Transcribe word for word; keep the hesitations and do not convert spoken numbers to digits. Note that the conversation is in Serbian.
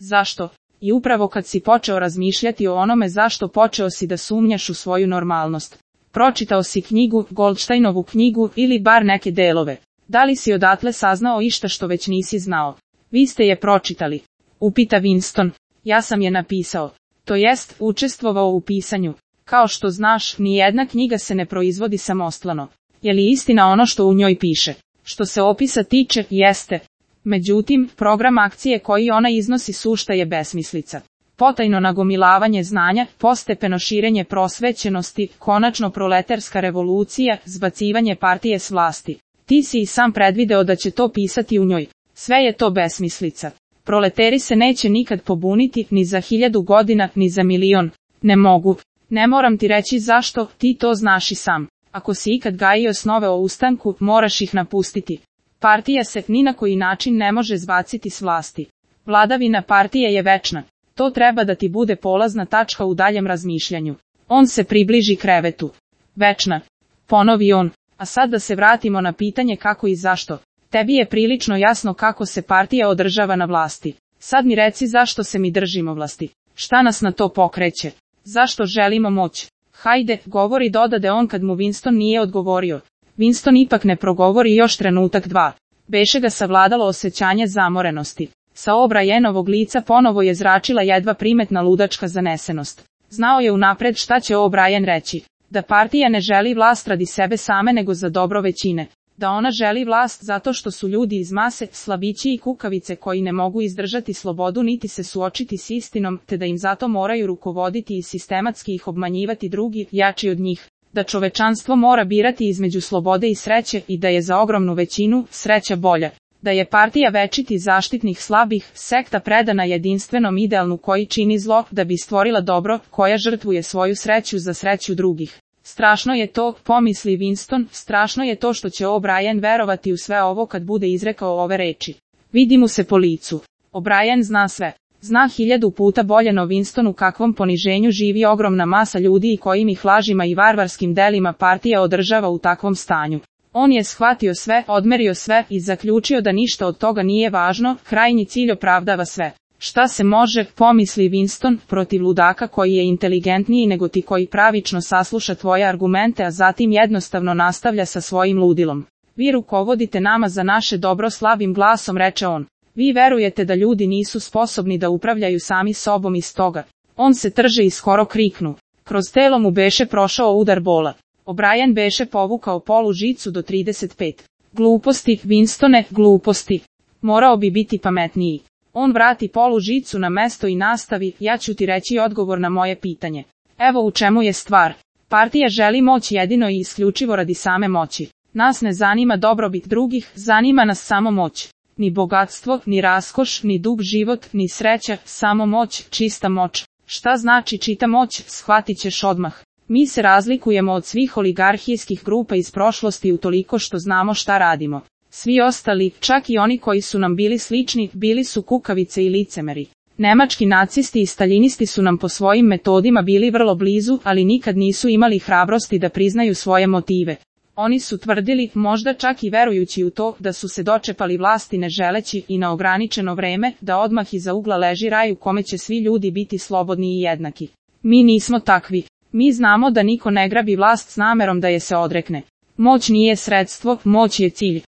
Zašto? I upravo kad si počeo razmišljati o onome zašto, počeo si da sumnjaš u svoju normalnost. Pročitao si knjigu, Goldsteinovu knjigu, ili bar neke delove. Da li si odatle saznao išta što već nisi znao? Vi ste je pročitali? Upita Winston. Ja sam je napisao. To jest, učestvovao u pisanju. Kao što znaš, ni jedna knjiga se ne proizvodi samostalno. Je li istina ono što u njoj piše? Što se opisa tiče, jeste. Međutim, program akcije koji ona iznosi sušta je besmislica. Potajno nagomilavanje znanja, postepeno širenje prosvećenosti, konačno proletarska revolucija, zbacivanje partije s vlasti. Ti si i sam predvideo da će to pisati u njoj. Sve je to besmislica. Proleteri se neće nikad pobuniti, ni za hiljadu godina, ni za milion. Ne mogu. Ne moram ti reći zašto, ti to znaš i sam. Ako si ikad gajio snove o ustanku, moraš ih napustiti. Partija se ni na koji način ne može zbaciti s vlasti. Vladavina partije je večna. To treba da ti bude polazna tačka u daljem razmišljanju. On se približi krevetu. Večna. Ponovi on. A sad da se vratimo na pitanje kako i zašto. Tebi je prilično jasno kako se partija održava na vlasti. Sad mi reci zašto se mi držimo vlasti. Šta nas na to pokreće? Zašto želimo moć? Hajde, govori, dodade on kad mu Winston nije odgovorio. Winston ipak ne progovori još trenutak dva. Beše ga savladalo osjećanje zamorenosti. Sa O'Brienovog lica ponovo je zračila jedva primetna ludačka zanesenost. Znao je unapred šta će O'Brien reći. Da partija ne želi vlast radi sebe same nego za dobro većine. Da ona želi vlast zato što su ljudi iz mase, slabići i kukavice koji ne mogu izdržati slobodu niti se suočiti s istinom, te da im zato moraju rukovoditi i sistematski ih obmanjivati drugi, jači od njih. Da čovečanstvo mora birati između slobode i sreće i da je za ogromnu većinu sreća bolja. Da je partija večiti zaštitnih slabih, sekta predana jedinstvenom idealnu koji čini zlo da bi stvorila dobro, koja žrtvuje svoju sreću za sreću drugih. Strašno je to, pomisli Winston, strašno je to što će O'Brien verovati u sve ovo kad bude izrekao ove reči. Vidi mu se po licu. O'Brien zna sve. Zna hiljadu puta bolje no Winston u kakvom poniženju živi ogromna masa ljudi i kojim ih lažima i varvarskim delima partija održava u takvom stanju. On je shvatio sve, odmerio sve i zaključio da ništa od toga nije važno, krajnji cilj opravdava sve. Šta se može, pomisli Winston, protiv ludaka koji je inteligentniji nego ti koji pravično sasluša tvoje argumente a zatim jednostavno nastavlja sa svojim ludilom. Vi rukovodite nama za naše dobro, slabim glasom reče on. Vi verujete da ljudi nisu sposobni da upravljaju sami sobom i stoga. On se trže i skoro kriknu. Kroz telo mu beše prošao udar bola. O'Brien beše povukao polu žicu do trideset pet. Gluposti, Winstone, gluposti. Morao bi biti pametniji. On vrati polu žicu na mesto i nastavi, ja ću ti reći odgovor na moje pitanje. Evo u čemu je stvar. Partija želi moć jedino i isključivo radi same moći. Nas ne zanima dobrobit drugih, zanima nas samo moć. Ni bogatstvo, ni raskoš, ni dug život, ni sreća, samo moć, čista moć. Šta znači čita moć, shvatit ćeš odmah. Mi se razlikujemo od svih oligarhijskih grupa iz prošlosti utoliko što znamo šta radimo. Svi ostali, čak i oni koji su nam bili slični, bili su kukavice i licemeri. Nemački nacisti i staljinisti su nam po svojim metodima bili vrlo blizu, ali nikad nisu imali hrabrosti da priznaju svoje motive. Oni su tvrdili, možda čak i verujući u to, da su se dočepali vlasti ne želeći i na ograničeno vreme, da odmah iza ugla leži raj u kome će svi ljudi biti slobodni i jednaki. Mi nismo takvi. Mi znamo da niko ne grabi vlast s namerom da je se odrekne. Moć nije sredstvo, moć je cilj.